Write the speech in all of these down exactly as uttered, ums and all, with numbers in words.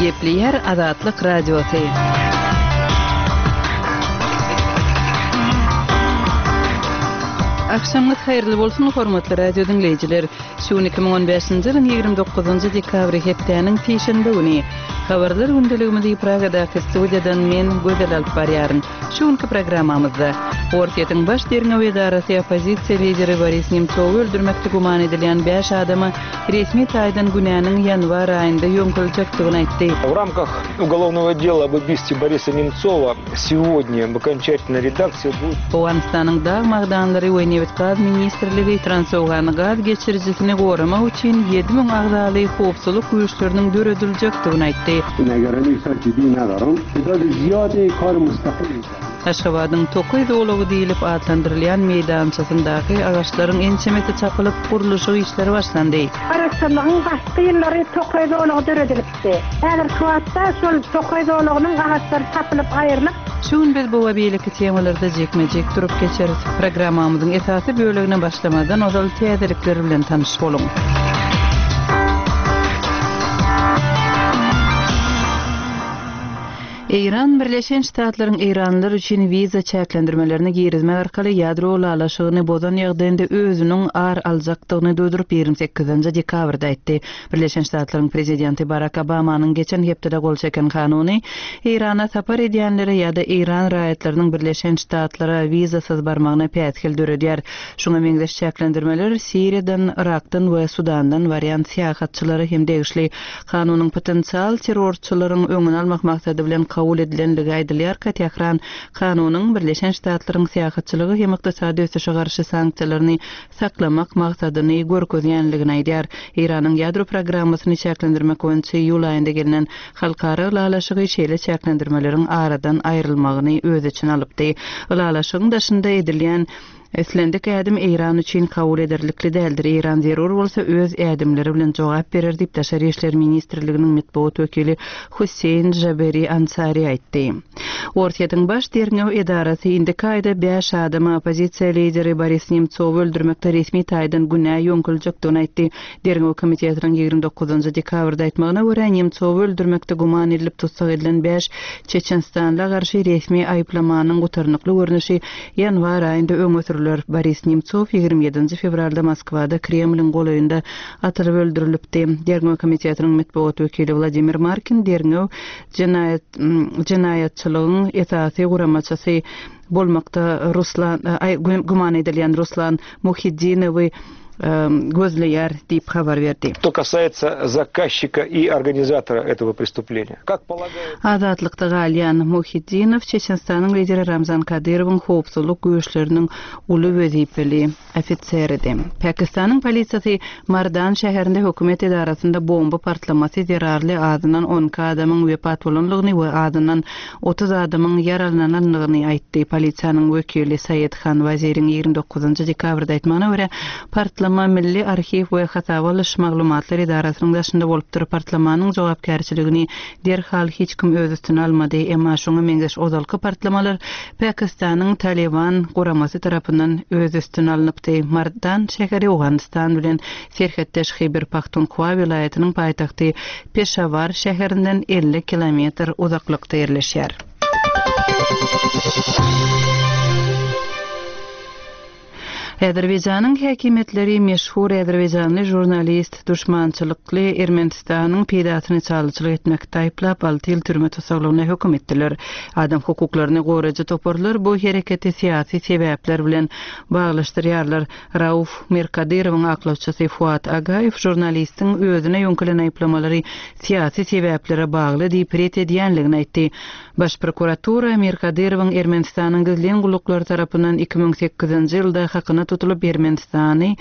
Gepleýär Azatlyk Radiosy. Agşamyňyz haýyrly bolsun, hormatly radio diňleýjiler! Şu gün iki müň on bäşinji ýylyň ýigrimi dokuzynjy dekabry, hepdäniň sişenbe güni. Habarlar gündeligimizi Pragadaky studiýadan men, Gözel alyp barýaryn. Şu günki programmamyzda, Orsýetiň Baş derňew edarasy oppozisiýa lideri Boris Nemtsowy öldürmekde güman edilýän bäş adama resmi taýdan günäniň ýanwar aýynda ýöňkeljekdigini aýtdy. В рамках уголовного дела об убийстве Бориса Немцова сегодня в окончательной редакции будет... Owganystanyň dag magdanlary we nebit-gaz ministrligi Transowgan gaz geçirijisini goramak üçin ýedi müň agzaly howpsuzlyk güýçleriniň dörediljekdigini aýtdy. Aşgabadyň tokaý zolagy diýlip atlandyrylýan meýdançasyndaky agaçlaryň ençemesi çapylyp, gurluşyk işleri başlandy. Garaşsyzlygyň başky ýyllary tokaý zolagy döredilipdi. Häzirki wagtda şol tokaý zolagynyň agaçlary çapylyp aýrylyp, Şu gün biz bu we beýleki temalarda jikme-jik durup geçeris. Programmamyzyň esasy bölegine başlamazdan ozal täzelikler bilen tanyş boluň. Eýran Birleşen Ştatlaryň eýranlylar üçin wiza çäklendirmelerini girizmek arkaly ýadro ylalaşygyny bozan ýagdaýynda özüniň ar aljakdygyny duýduryp, ýigrimi sekizinji dekabrda aýtdy. Birleşen Ştatlaryň prezidenti Barak Obamanyň geçen hepdede gol çeken kanuny Eýrana sapar edýänlere ýa-da eýran raýatlarynyň Birleşen Ştatlara wizasyz barmagyna päsgel döredýär. Şuňa meňzeş çäklendirmeler Siriýadan, Yrakdan we Sudandan barýan syýahatçylara hem degişli. Kanunyň potensial terrorçylaryň öňüni almak maksady bilen kabul edilenligi aýdylýarka, Tähran kanunyň Birleşen Ştatlaryň syýahatçylyga hem ykdysady ösüşe garşy sanksiýalaryny saklamak maksadyny görkezýänligini aýdýar. Eýranyň ýadro programmasyny çäklendirmek boýunça iýul aýynda gelnen halkara ylalaşygy şeýle çäklendirmeleriň aradan aýrylmagyny öz içine alypdy. Ylalaşygyň daşynda edilýän islendik ädim Eýran üçin kabul ederlikli däldir. Eýran zerur bolsa öz ädimleri bilen jogap berer diýip Daşary işler ministrliginiň metbugat wekili Husseýn Jaberi Ansari aýtdy. Orsýetiň baş derňew edarasy indiki aýda bäş adama oppozisiýa lideri Boris Nemtsowy öldürmekde resmi taýdan günä ýöňküljekdigini aýtdy. Derňew komitetiniň ýigrimi dokuzynjy dekabrda aýtmagyna görä, Nemtsowy öldürmekde güman edilip tussag edilen bäş Çeçenistanla garşy resmi aýyplamanyň gutarnykly görnüşi ýanwar aýynda öňe sürüler. Boris Nemtsow ýigrimi ýedinji fewralda Moskwada Kremliň golaýynda atylyp öldürilipdi. Derňew komitetiniň metbugat wekili Wladimir Markin derňew jenaýat, jenaýatçylygyň esasy guramaçysy bolmakda Ruslan, aý, güman edilýän Ruslan Muhiddinowy gözleýär diýip habar berdi. Что касается заказчика и организатора этого преступления. Как полагает Azatlykda galýan Muhiddinow Çeçenistanyň lideri Ramzan Kadyrowyň howpsuzlyk güýçleriniň uly wezipeli ofiseridir. Pakistanyň polisiýasy Mardan şäherinde hökümet edarasynda bomba partlamasy zerarly azyndan on iki adamyň wepat bolanlygyny we azyndan otuz adamyň ýaralananlygyny aýtdy. Polisiýanyň wekili Said Han Waziriň ýigrimi dokuzynjy dekabrda aýtmagyna görä, partlama Milli arhiw we hasaba alyş maglumatlar edarasynyň daşynda bolupdyr. Partlamanyň jogapkärçiligini derhal hiç kim öz üstüne almady. Emma şoňa meňzeş ozalky partlamalar Pakistanyň Taliban guramasy tarapyndan öz üstüne alnypdy. Mardan şäheri Owganystan bilen serhetdeş Khyber Pakhtunkhwa welaýatynyň paýtagty Peşawar şäherinden elli kilometr uzaklykda ýerleşýär. Azerbaýjanyň häkimiýetleri meşhur azerbaýjanly žurnalist duşmançylykly Ermenistanyň peýdasyny çalyçylyk etmekde aýyplap alty ýyl türme tussaglygyna höküm etdiler. Adam hukuklaryny goraýjy toparlar bu hereketi syýasy sebäpler bilen baglaşdyrýarlar. Rauf Mirkadyrowyň aklawçysy Fuat Agaýew žurnalistiň özüne ýöňkelen aýyplamalary syýasy sebäplere bagly diýip ret edýänligini aýtdy. Baş prokuratura Mirkadyrowyň Ermenistanyň gizlin gulluklary tarapyndan iki müň sekizinji ýylda hakyna tutulyp Ermenistany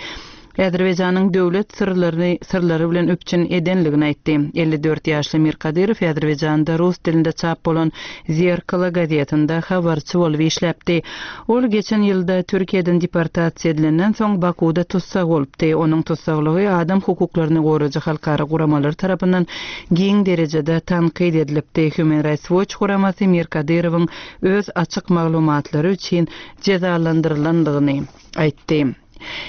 Azerbaýjanyň döwlet syrlaryny, syrlary bilen üpjün edenligini aýtdy. Elli dört ýaşly Mirkadyrow Azerbaýjanda rus dilinde çap bolan Zerkala gazetinde habarçy bolup işläpdi. Ol geçen ýylda Türkiýeden deportasiýa edilenden soň Bakuda tussag bolupdy. Onuň tussaglygy adam hukuklaryny goraýjy halkara guramalary tarapyndan giň derejede tankyt edilipdi. Human Rights Watch guramasy Mirkadyrowyň öz açyk maglumatlary üçin jezalandyrylandygyny aýtdy.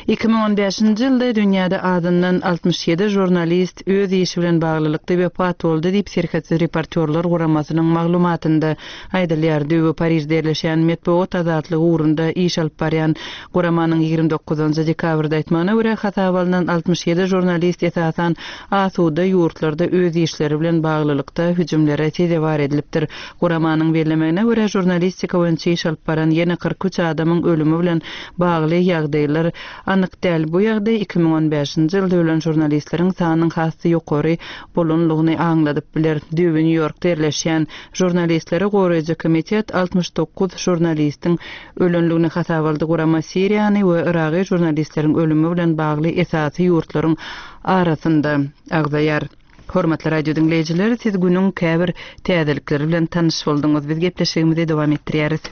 Iki müň on bäşinji ýylda dünýäde azyndan altmyş ýedi žurnalist öz işi bilen baglylykda wepat boldy diýip, Serhetsiz reportýorlar guramasynyň maglumatynda aýdylýar. Düýbi Parižde ýerleşýän metbugat azatlygy ugrunda iş alyp barýan guramanyň ýigrimi dokuzynjy dekabrda aýtmagyna görä, hasaba alnan altmyş ýedi žurnalist esasan asuda ýurtlarda öz işleri bilen baglylykda hüjümlere sezewar edilipdir. Guramanyň bellemegine görä, žurnalistika boýunça iş alyp baran ýene kyrk üç adamyň ölümi bilen bagly ýagdaýlar anyk däl. Bu ýagdaý iki müň on bäşinji ýylda ölen žurnalistleriň sanynyň has-da ýokary bolanlygyny aňladyp biler. Düýbi Nýu-Ýorkda ýerleşýän Žurnalistleri goraýjy komitet altmyş dokuz žurnalistiň ölenligini hasaba aldy. Gurama Siriýany we Yragy žurnalistleriň ölümi bilen bagly esasy ýurtlaryň arasynda agzaýar. Hormatly radio diňleýjiler, siz günüň käbir täzelikleri bilen tanyş bolduňyz. Biz gepleşigimizi dowam etdirýäris.